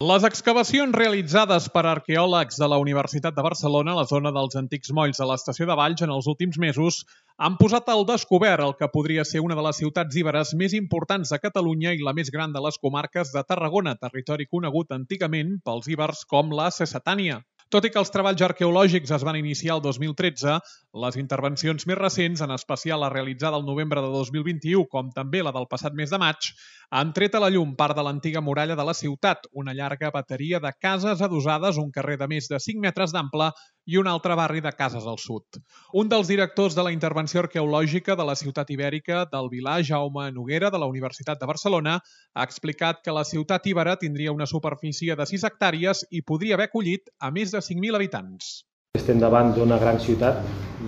Les excavacions realitzades per arqueòlegs de la Universitat de Barcelona a la zona dels antics molls de l'estació de Valls en els últims mesos han posat al descobert el que podria ser una de les ciutats iberes més importants de Catalunya i la més gran de les comarques de Tarragona, territori conegut antigament pels ibers com la Cecetània. Tot i que els treballs arqueològics es van iniciar el 2013, les intervencions més recents, en especial la realitzada el novembre de 2021, com també la del passat mes de maig, han tret a la llum part de l'antiga muralla de la ciutat, una llarga bateria de cases adossades, un carrer de més de 5 metres d'ample i un altre barri de cases al sud. Un dels directors de la intervenció arqueològica de la ciutat ibèrica del Vilar, Jaume Noguera, de la Universitat de Barcelona, ha explicat que la ciutat ibera tindria una superfície de 6 hectàrees i podria haver acollit a més de 5.000 habitants. Estem davant d'una gran ciutat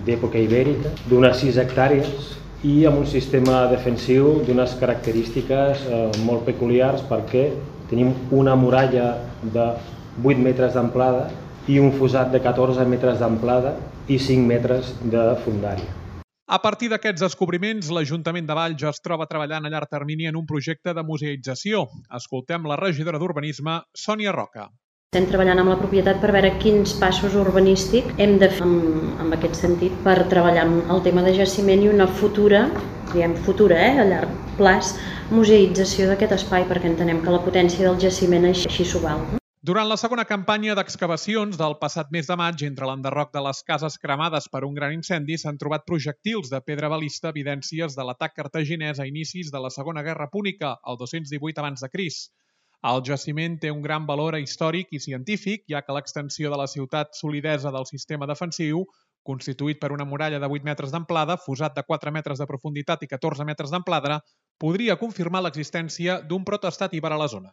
d'època ibèrica, d'unes 6 hectàrees i amb un sistema defensiu d'unes característiques molt peculiars perquè tenim una muralla de 8 metres d'amplada i un fossat de 14 metres d'amplada i 5 metres de fondària. A partir d'aquests descobriments, l'Ajuntament de Valls ja es troba treballant a llarg termini en un projecte de museïtzació. Escoltem la regidora d'Urbanisme, Sònia Roca. Estem treballant amb la propietat per veure quins passos urbanístics hem de fer en aquest sentit per treballar el tema de jaciment i una futura, a llarg plaç, museïtzació d'aquest espai perquè entenem que la potència del jaciment així s'ho val. Durant la segona campanya d'excavacions del passat mes de maig, entre l'enderroc de les cases cremades per un gran incendi, s'han trobat projectils de pedra balista, evidències de l'atac cartaginès a inicis de la Segona Guerra Púnica, el 218 abans de Crist. El jaciment té un gran valor històric i científic, ja que l'extensió de la ciutat solidesa del sistema defensiu, constituït per una muralla de 8 metres d'amplada, fossat de 4 metres de profunditat i 14 metres d'amplada, podria confirmar l'existència d'un protoestat iber a la zona.